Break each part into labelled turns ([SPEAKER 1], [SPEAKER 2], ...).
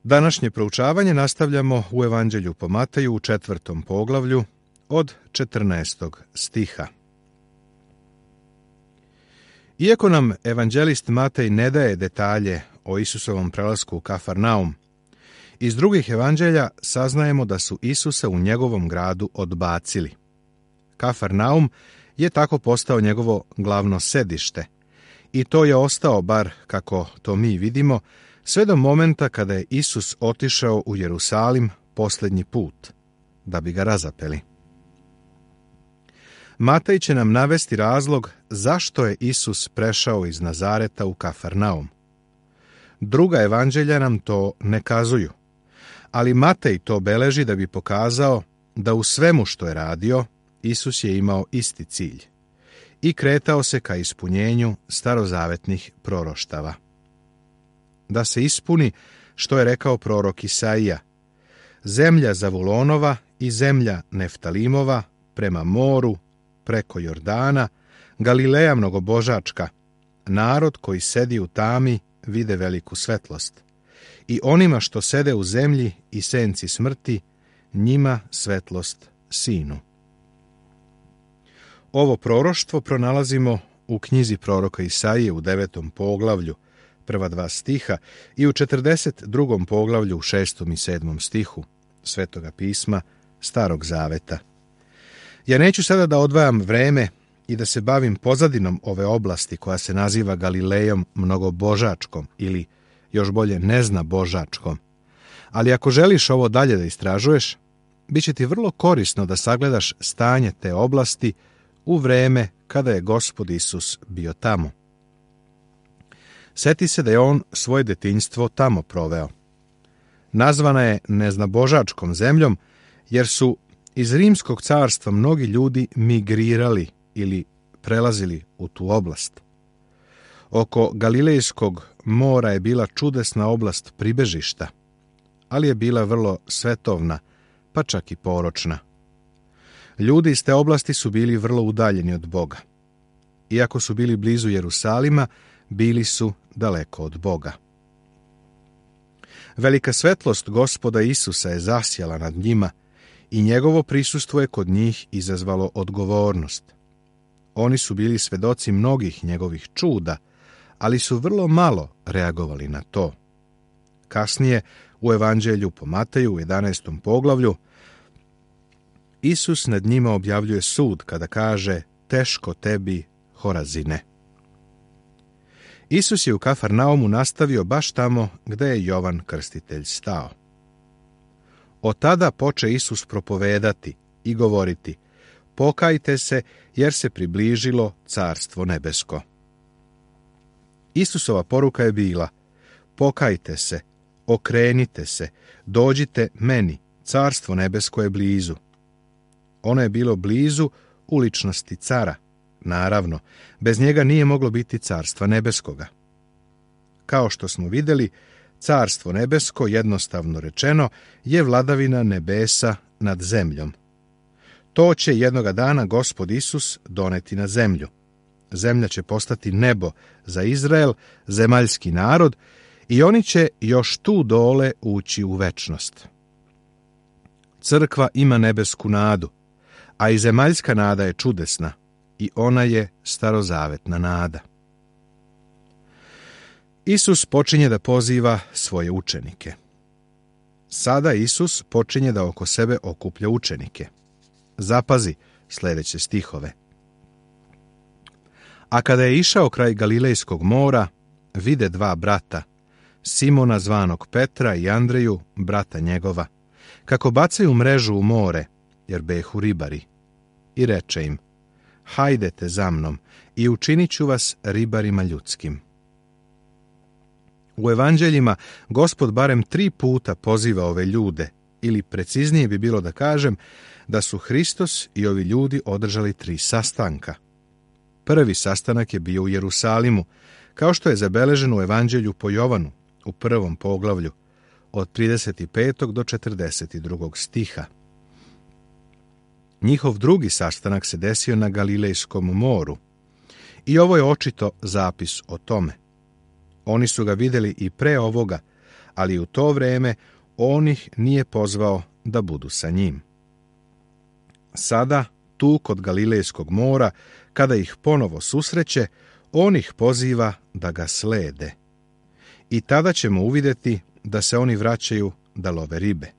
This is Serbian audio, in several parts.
[SPEAKER 1] Današnje proučavanje nastavljamo u Evanđelju po Mateju u 4. poglavlju od 14. stiha. Iako nam evanđelist Matej ne daje detalje o Isusovom prelasku u Kafarnaum, iz drugih evanđelja saznajemo da su Isusa u njegovom gradu odbacili. Kafarnaum je tako postao njegovo glavno sedište i to je ostao, bar kako to mi vidimo, sve do momenta kada je Isus otišao u Jerusalim posljednji put, da bi ga razapeli. Matej će nam navesti razlog zašto je Isus prešao iz Nazareta u Kafarnaum. Druga evanđelja nam to ne kazuju, ali Matej to beleži da bi pokazao da u svemu što je radio, Isus je imao isti cilj i kretao se ka ispunjenju starozavetnih proroštava. Da se ispuni što je rekao prorok Isaija: zemlja Zavulonova i zemlja Neftalimova prema moru, preko Jordana, Galileja mnogobožačka, narod koji sedi u tami vide veliku svetlost. I onima što sede u zemlji i senci smrti, njima svetlost sinu. Ovo proroštvo pronalazimo u knjizi proroka Isaije u 9. poglavlju, prva 2 stiha, i u 42. poglavlju u 6. i 7. stihu Svetoga pisma Starog zaveta. Ja neću sada da odvajam vreme i da se bavim pozadinom ove oblasti koja se naziva Galilejom mnogobožačkom ili još bolje neznabožačkom. Ali ako želiš ovo dalje da istražuješ, bit će ti vrlo korisno da sagledaš stanje te oblasti u vreme kada je Gospod Isus bio tamo. Seti se da je on svoje detinjstvo tamo proveo. Nazvana je neznabožačkom zemljom jer su iz Rimskog carstva mnogi ljudi migrirali ili prelazili u tu oblast. Oko Galilejskog mora je bila čudesna oblast pribežišta, ali je bila vrlo svetovna, pa čak i poročna. Ljudi iz te oblasti su bili vrlo udaljeni od Boga. Iako su bili blizu Jerusalima, bili su daleko od Boga. Velika svetlost Gospoda Isusa je zasjala nad njima i njegovo prisustvo je kod njih izazvalo odgovornost. Oni su bili svedoci mnogih njegovih čuda, ali su vrlo malo reagovali na to. Kasnije, u Evanđelju po Mateju u 11. poglavlju, Isus nad njima objavljuje sud kada kaže: teško tebi, Horazine. Isus je u Kafarnaumu nastavio baš tamo gde je Jovan Krstitelj stao. Od tada poče Isus propovedati i govoriti: pokajte se, jer se približilo Carstvo nebesko. Isusova poruka je bila: pokajte se, okrenite se, dođite meni, Carstvo nebesko je blizu. Ono je bilo blizu u ličnosti cara. Naravno, bez njega nije moglo biti Carstva nebeskoga. Kao što smo vidjeli, Carstvo nebesko, jednostavno rečeno, je vladavina nebesa nad zemljom. To će jednoga dana Gospod Isus doneti na zemlju. Zemlja će postati nebo za Izrael, zemaljski narod, i oni će još tu dole ući u večnost. Crkva ima nebesku nadu, a i zemaljska nada je čudesna, i ona je starozavetna nada. Isus počinje da poziva svoje učenike. Sada Isus počinje da oko sebe okuplja učenike. Zapazi sljedeće stihove. A kada je išao kraj Galilejskog mora, vide 2 brata, Simona zvanog Petra i Andreju, brata njegova, kako bacaju mrežu u more, jer behu ribari. I reče im: hajdete za mnom i učinit ću vas ribarima ljudskim. U evanđeljima Gospod barem 3 puta poziva ove ljude, ili preciznije bi bilo da kažem da su Hristos i ovi ljudi održali 3 sastanka. Prvi sastanak je bio u Jerusalimu, kao što je zabeleženo u evanđelju po Jovanu, u 1. poglavlju, od 35. do 42. stiha. Njihov drugi sastanak se desio na Galilejskom moru i ovo je očito zapis o tome. Oni su ga vidjeli i pre ovoga, ali u to vrijeme on ih nije pozvao da budu sa njim. Sada, tu kod Galilejskog mora, kada ih ponovo susreće, on ih poziva da ga slede. I tada ćemo uvidjeti da se oni vraćaju da love ribe.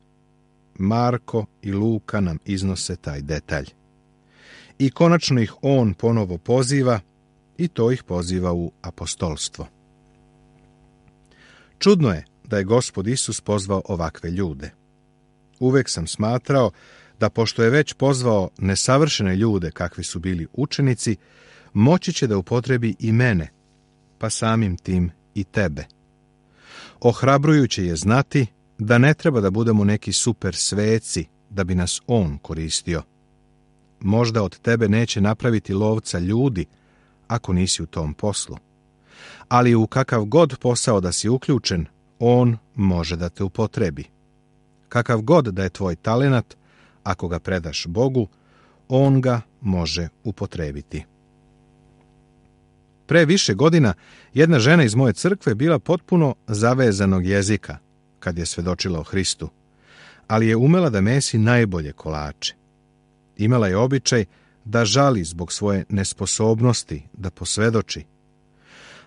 [SPEAKER 1] Marko i Luka nam iznose taj detalj. I konačno ih on ponovo poziva i to ih poziva u apostolstvo. Čudno je da je Gospod Isus pozvao ovakve ljude. Uvek sam smatrao da pošto je već pozvao nesavršene ljude kakvi su bili učenici, moći će da upotrebi i mene, pa samim tim i tebe. Ohrabrujuće je znati da ne treba da budemo neki super sveci da bi nas on koristio. Možda od tebe neće napraviti lovca ljudi ako nisi u tom poslu. Ali u kakav god posao da si uključen, on može da te upotrebi. Kakav god da je tvoj talenat, ako ga predaš Bogu, on ga može upotrebiti. Pre više godina jedna žena iz moje crkve bila potpuno zavezanog jezika kad je svedočila o Hristu, ali je umela da mesi najbolje kolače. Imala je običaj da žali zbog svoje nesposobnosti da posvedoči.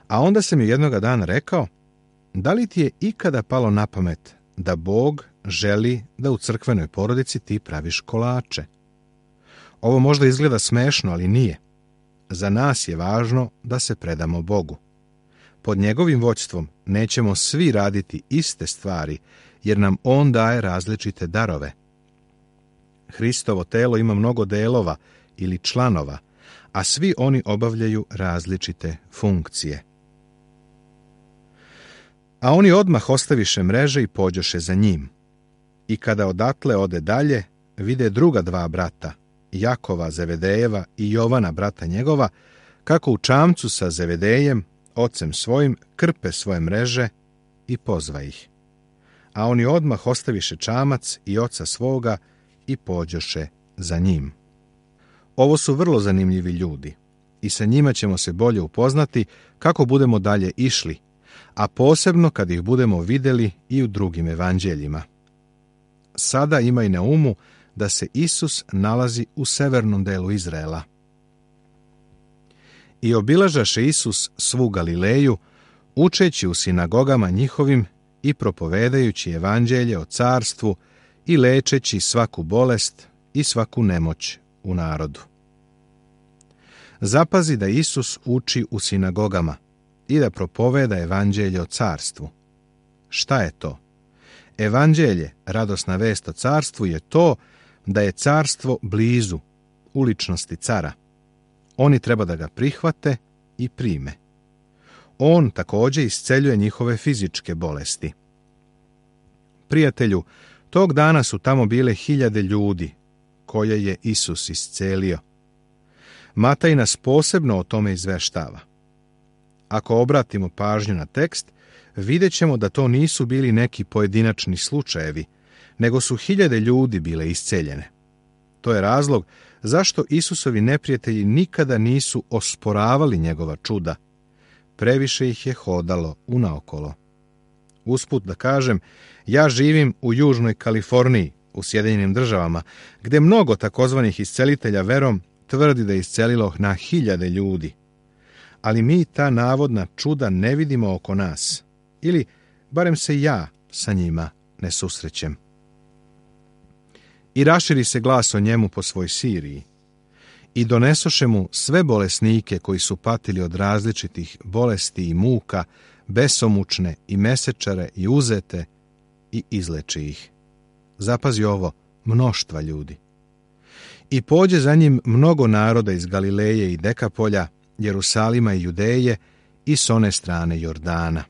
[SPEAKER 1] A onda sam joj jednoga dana rekao, da li ti je ikada palo na pamet da Bog želi da u crkvenoj porodici ti praviš kolače? Ovo možda izgleda smešno, ali nije. Za nas je važno da se predamo Bogu. Pod njegovim vođstvom nećemo svi raditi iste stvari, jer nam on daje različite darove. Hristovo telo ima mnogo delova ili članova, a svi oni obavljaju različite funkcije. A oni odmah ostaviše mreže i pođoše za njim. I kada odatle ode dalje, vide druga dva brata, Jakova Zevedejeva i Jovana brata njegova, kako u čamcu sa Zevedejem, ocem svojim, krpe svoje mreže i pozva ih. A oni odmah ostaviše čamac i oca svoga i pođoše za njim. Ovo su vrlo zanimljivi ljudi i sa njima ćemo se bolje upoznati kako budemo dalje išli, a posebno kad ih budemo vidjeli i u drugim evanđeljima. Sada imaj na umu da se Isus nalazi u severnom delu Izraela. I obilažaše Isus svu Galileju, učeći u sinagogama njihovim i propovedajući evanđelje o carstvu i lečeći svaku bolest i svaku nemoć u narodu. Zapazi da Isus uči u sinagogama i da propoveda evanđelje o carstvu. Šta je to? Evanđelje, radosna vest o carstvu, je to da je carstvo blizu, u ličnosti cara. Oni treba da ga prihvate i prime. On također isceljuje njihove fizičke bolesti. Prijatelju, tog dana su tamo bile 1000 ljudi koje je Isus iscelio. Mataj nas posebno o tome izveštava. Ako obratimo pažnju na tekst, vidjet ćemo da to nisu bili neki pojedinačni slučajevi, nego su 1000 ljudi bile isceljene. To je razlog zašto Isusovi neprijatelji nikada nisu osporavali njegova čuda. Previše ih je hodalo unaokolo. Usput da kažem, ja živim u Južnoj Kaliforniji, u Sjedinjenim Državama, gdje mnogo takozvanih iscelitelja verom tvrdi da je iscelilo na 1000 ljudi. Ali mi ta navodna čuda ne vidimo oko nas, ili barem se ja sa njima ne susrećem. I raširi se glas o njemu po svoj Siriji. I donesoše mu sve bolesnike koji su patili od različitih bolesti i muka, besomučne i mesečare i uzete, i izleči ih. Zapazi ovo, mnoštva ljudi. I pođe za njim mnogo naroda iz Galileje i Dekapolja, Jerusalima i Judeje i s one strane Jordana.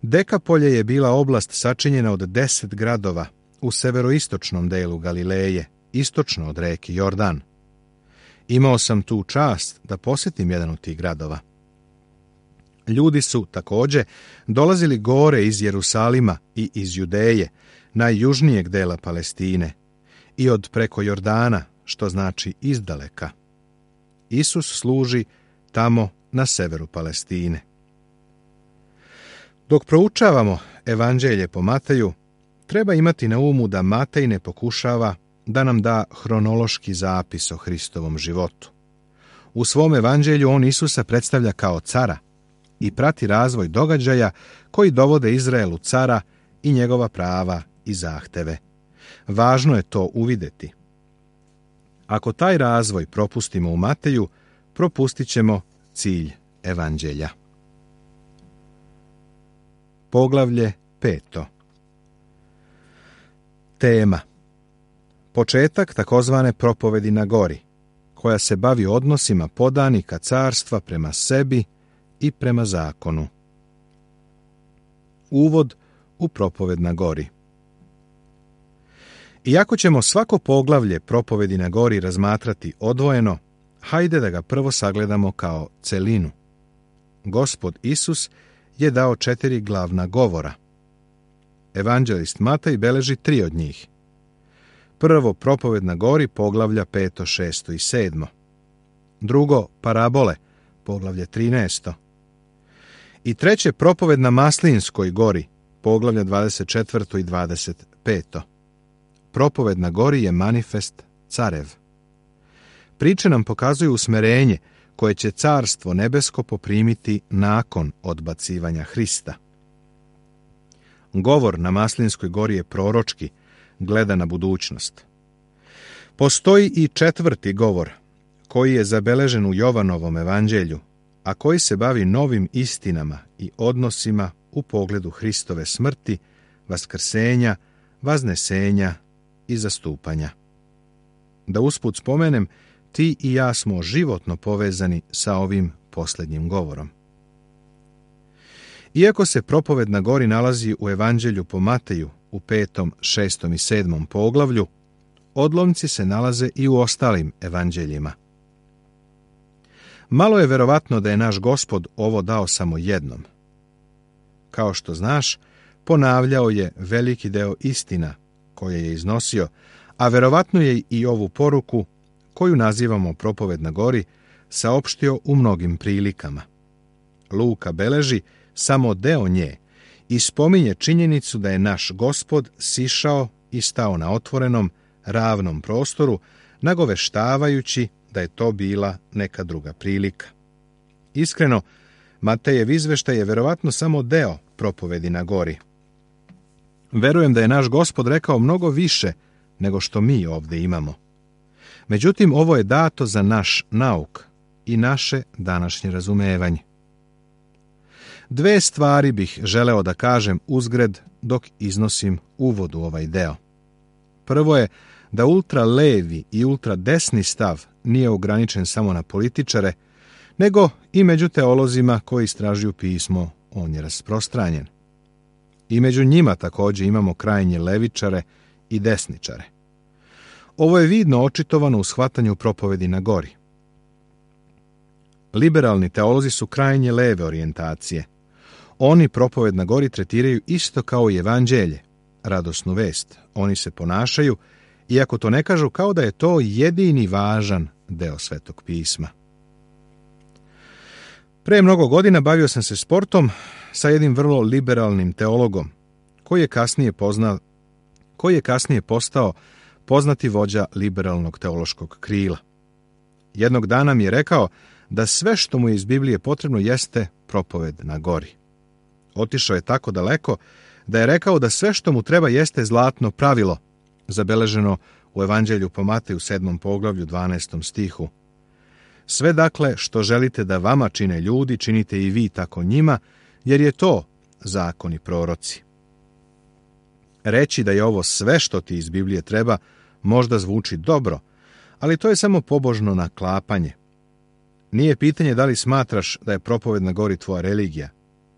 [SPEAKER 1] Dekapolje je bila oblast sačinjena od 10 gradova u severoistočnom delu Galileje, istočno od reke Jordan. Imao sam tu čast da posjetim jedan od tih gradova. Ljudi su također dolazili gore iz Jerusalima i iz Judeje, najjužnijeg dela Palestine, i od preko Jordana, što znači izdaleka. Isus služi tamo na severu Palestine. Dok proučavamo Evanđelje po Mateju, treba imati na umu da Matej ne pokušava da nam da hronološki zapis o Hristovom životu. U svom evanđelju on Isusa predstavlja kao cara i prati razvoj događaja koji dovode Izraelu cara i njegova prava i zahteve. Važno je to uvidjeti. Ako taj razvoj propustimo u Mateju, propustit ćemo cilj evanđelja. Poglavlje 5. Tema. Početak takozvane propovedi na gori, koja se bavi odnosima podanika carstva prema sebi i prema zakonu. Uvod u propoved na gori. Iako ćemo svako poglavlje propovedi na gori razmatrati odvojeno, hajde da ga prvo sagledamo kao celinu. Gospod Isus je dao 4 glavna govora. Evanđelist Matej beleži 3 od njih. Prvo, propoved na gori, poglavlja 5., 6. i 7. Drugo, parabole, poglavlje 13. I treće, propoved na Maslinskoj gori, poglavlja 24. i 25. Propoved na gori je manifest carev. Priče nam pokazuju usmerenje koje će carstvo nebesko poprimiti nakon odbacivanja Hrista. Govor na Maslinskoj gori je proročki, gleda na budućnost. Postoji i 4. govor, koji je zabeležen u Jovanovom evanđelju, a koji se bavi novim istinama i odnosima u pogledu Hristove smrti, vaskrsenja, vaznesenja i zastupanja. Da usput spomenem, ti i ja smo životno povezani sa ovim posljednjim govorom. Iako se propoved na gori nalazi u evanđelju po Mateju u 5., 6. i 7. poglavlju, odlomci se nalaze i u ostalim evanđeljima. Malo je verovatno da je naš Gospod ovo dao samo jednom. Kao što znaš, ponavljao je veliki deo istina koje je iznosio, a verovatno je i ovu poruku, koju nazivamo propoved na gori, saopštio u mnogim prilikama. Luka beleži samo deo nje i spominje činjenicu da je naš Gospod sišao i stao na otvorenom, ravnom prostoru, nagoveštavajući da je to bila neka druga prilika. Iskreno, Matejev izveštaj je verovatno samo deo propovedi na gori. Verujem da je naš Gospod rekao mnogo više nego što mi ovdje imamo. Međutim, ovo je dato za naš nauk i naše današnje razumevanje. 2 stvari bih želeo da kažem uzgred dok iznosim uvod u ovaj deo. Prvo je da ultra levi i ultra desni stav nije ograničen samo na političare, nego i među teolozima koji istražuju pismo on je rasprostranjen. I među njima također imamo krajnje levičare i desničare. Ovo je vidno očitovano u shvatanju propovedi na gori. Liberalni teolozi su krajnje leve orijentacije. Oni propoved na gori tretiraju isto kao i evanđelje, radosnu vest. Oni se ponašaju, iako to ne kažu, kao da je to jedini važan deo Svetog pisma. Pre mnogo godina bavio sam se sportom sa jednim vrlo liberalnim teologom, koji je kasnije postao poznati vođa liberalnog teološkog krila. Jednog dana mi je rekao da sve što mu je iz Biblije potrebno jeste propoved na gori. Otišao je tako daleko da je rekao da sve što mu treba jeste zlatno pravilo, zabeleženo u evanđelju po Mateju 7. poglavlju 12. stihu. Sve dakle što želite da vama čine ljudi, činite i vi tako njima, jer je to zakon i proroci. Reći da je ovo sve što ti iz Biblije treba možda zvuči dobro, ali to je samo pobožno naklapanje. Nije pitanje da li smatraš da je propoved na gori tvoja religija.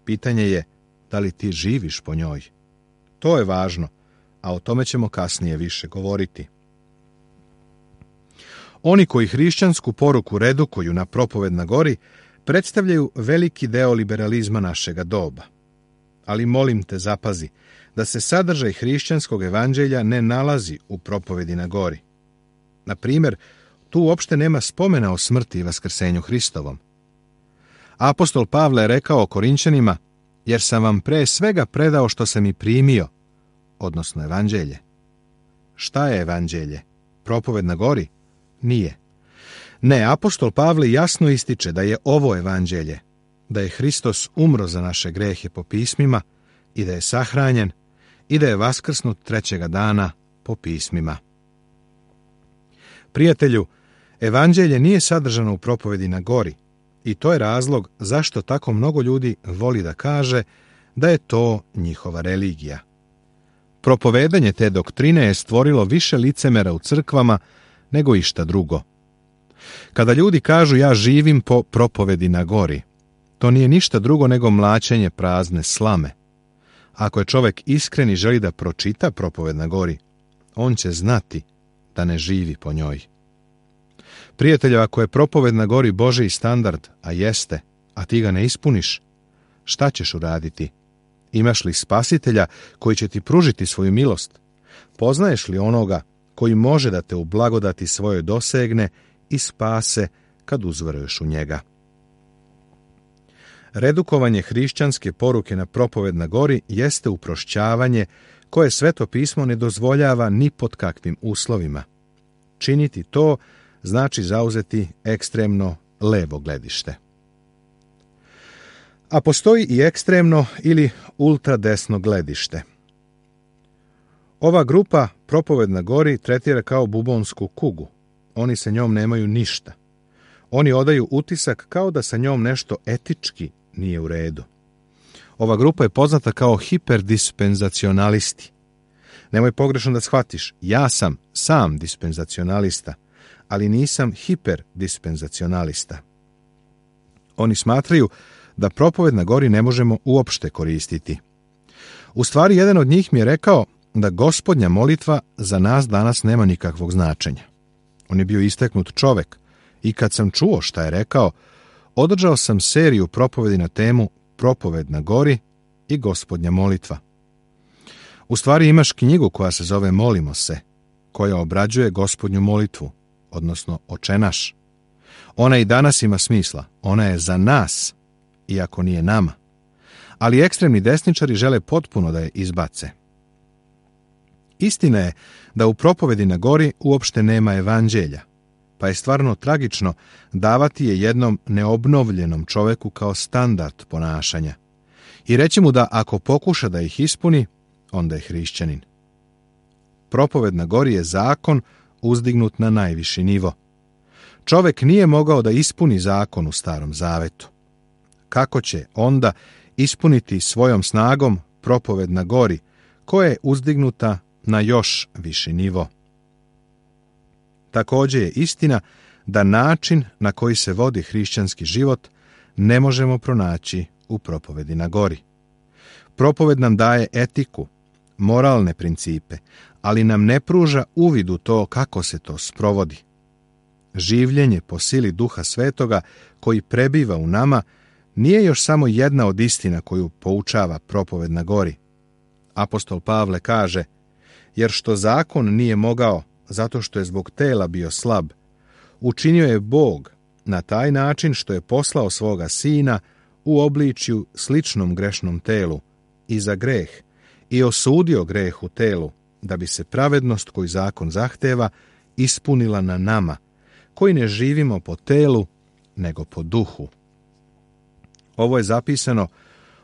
[SPEAKER 1] Pitanje je da li ti živiš po njoj. To je važno, a o tome ćemo kasnije više govoriti. Oni koji hrišćansku poruku redukuju na propoved na gori predstavljaju veliki deo liberalizma našega doba. Ali molim te zapazi da se sadržaj hrišćanskog evanđelja ne nalazi u propovedi na gori. Na primjer, tu uopšte nema spomena o smrti i vaskrsenju Hristovom. Apostol Pavle je rekao Korinćanima: jer sam vam pre svega predao što sam i primio, odnosno evanđelje. Šta je evanđelje? Propoved na gori? Nije. Ne, apostol Pavle jasno ističe da je ovo evanđelje, da je Hristos umro za naše grehe po pismima i da je sahranjen i da je vaskrsnut trećega dana po pismima. Prijatelju, evanđelje nije sadržano u propovedi na gori i to je razlog zašto tako mnogo ljudi voli da kaže da je to njihova religija. Propovedanje te doktrine je stvorilo više licemera u crkvama nego išta drugo. Kada ljudi kažu ja živim po propovedi na gori, to nije ništa drugo nego mlaćenje prazne slame. Ako je čovjek iskren i želi da pročita propoved na gori, on će znati da ne živi po njoj. Prijatelju, ako je propoved na gori Božji standard, a jeste, a ti ga ne ispuniš, šta ćeš uraditi? Imaš li spasitelja koji će ti pružiti svoju milost? Poznaješ li onoga koji može da te u blagodati svojoj dosegne i spase kad uzveruješ u njega? Redukovanje hrišćanske poruke na propoved na gori jeste uprošćavanje koje Sveto pismo ne dozvoljava ni pod kakvim uslovima. Činiti to znači zauzeti ekstremno levo gledište. A postoji i ekstremno ili ultradesno gledište. Ova grupa propoved na gori tretira kao bubonsku kugu. Oni sa njom nemaju ništa. Oni odaju utisak kao da sa njom nešto etički nije u redu. Ova grupa je poznata kao hiperdispenzacionalisti. Nemoj pogrešno da shvatiš, ja sam sam dispenzacionalista, ali nisam hiperdispenzacionalista. Oni smatraju da propoved na gori ne možemo uopšte koristiti. U stvari, jedan od njih mi je rekao da Gospodnja molitva za nas danas nema nikakvog značenja. On je bio isteknut čovek i kad sam čuo šta je rekao, održao sam seriju propovedi na temu Propoved na gori i Gospodnja molitva. U stvari imaš knjigu koja se zove Molimo se, koja obrađuje Gospodnju molitvu, odnosno Oče naš. Ona i danas ima smisla, ona je za nas, iako nije nama. Ali ekstremni desničari žele potpuno da je izbace. Istina je da u propovedi na gori uopšte nema evanđelja, pa je stvarno tragično davati je jednom neobnovljenom čoveku kao standard ponašanja i reći mu da ako pokuša da ih ispuni, onda je hrišćanin. Propoved na gori je zakon uzdignut na najviši nivo. Čovek nije mogao da ispuni zakon u Starom Zavetu. Kako će onda ispuniti svojom snagom propoved na gori, koja je uzdignuta na još viši nivo? Također je istina da način na koji se vodi hrišćanski život ne možemo pronaći u propovedi na gori. Propoved nam daje etiku, moralne principe, ali nam ne pruža uvid u to kako se to sprovodi. Življenje po sili Duha Svetoga koji prebiva u nama nije još samo jedna od istina koju poučava propoved na gori. Apostol Pavle kaže, jer što zakon nije mogao, zato što je zbog tela bio slab, učinio je Bog na taj način što je poslao svoga sina u obličju sličnom grešnom telu i za greh i osudio greh u telu, da bi se pravednost koju zakon zahteva ispunila na nama, koji ne živimo po telu, nego po duhu. Ovo je zapisano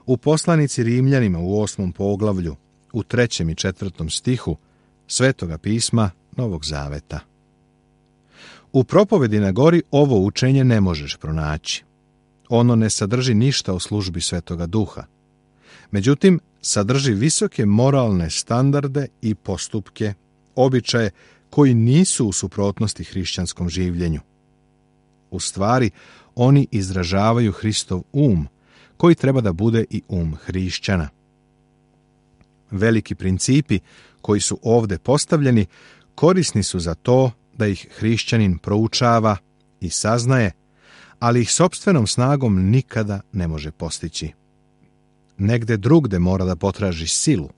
[SPEAKER 1] u poslanici Rimljanima u 8. poglavlju, u 3. i 4. stihu Svetoga pisma Novog Zaveta. U propovedi na gori ovo učenje ne možeš pronaći. Ono ne sadrži ništa o službi Svetoga Duha. Međutim, sadrži visoke moralne standarde i postupke, običaje koji nisu u suprotnosti hrišćanskom življenju. U stvari, oni izražavaju Hristov koji treba da bude i hrišćana. Veliki principi koji su ovdje postavljeni korisni su za to da ih hrišćanin proučava i saznaje, ali ih sopstvenom snagom nikada ne može postići. Negde drugde mora da potraži silu.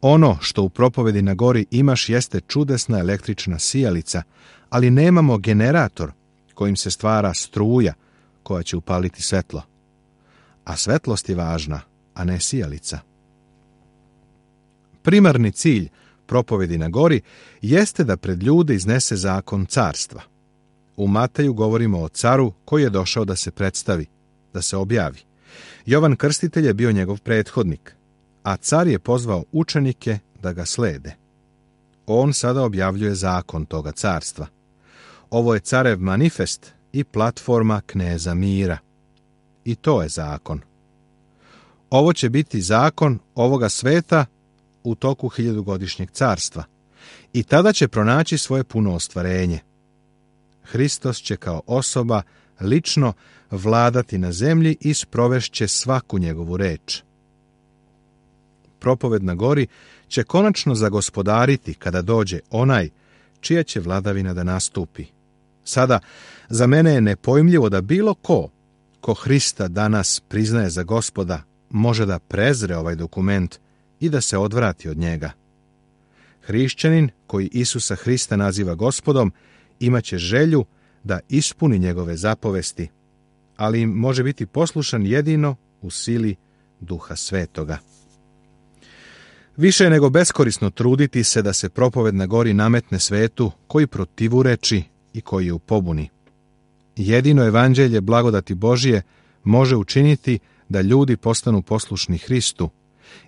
[SPEAKER 1] Ono što u propovedi na gori imaš jeste čudesna električna sijalica, ali nemamo generator kojim se stvara struja koja će upaliti svetlo. a svetlost je važna, a ne sijalica. Primarni cilj propovedi na gori jeste da pred ljude iznese zakon carstva. U Mateju govorimo o caru koji je došao da se predstavi, da se objavi. Jovan Krstitelj je bio njegov prethodnik, a car je pozvao učenike da ga slede. On sada objavljuje zakon toga carstva. Ovo je carev manifest i platforma kneza mira. I to je zakon. Ovo će biti zakon ovoga sveta u toku 1000-godišnjeg carstva. I tada će pronaći svoje puno ostvarenje. Hristos će kao osoba lično vladati na zemlji i sprovešće svaku njegovu reč. Propoved na gori će konačno zagospodariti kada dođe onaj čija će vladavina da nastupi. Sada, za mene je nepojmljivo da bilo ko Hrista danas priznaje za Gospoda, može da prezre ovaj dokument i da se odvrati od njega. Hrišćanin koji Isusa Hrista naziva Gospodom imaće želju da ispuni njegove zapovesti, ali im može biti poslušan jedino u sili Duha Svetoga. Više je nego beskorisno truditi se da se propoved na gori nametne svetu koji protivureči i koji je u pobuni. Jedino evanđelje blagodati Božije može učiniti da ljudi postanu poslušni Hristu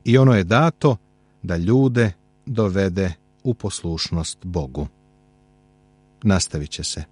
[SPEAKER 1] i ono je dato da ljude dovede u poslušnost Bogu. Nastavit će se.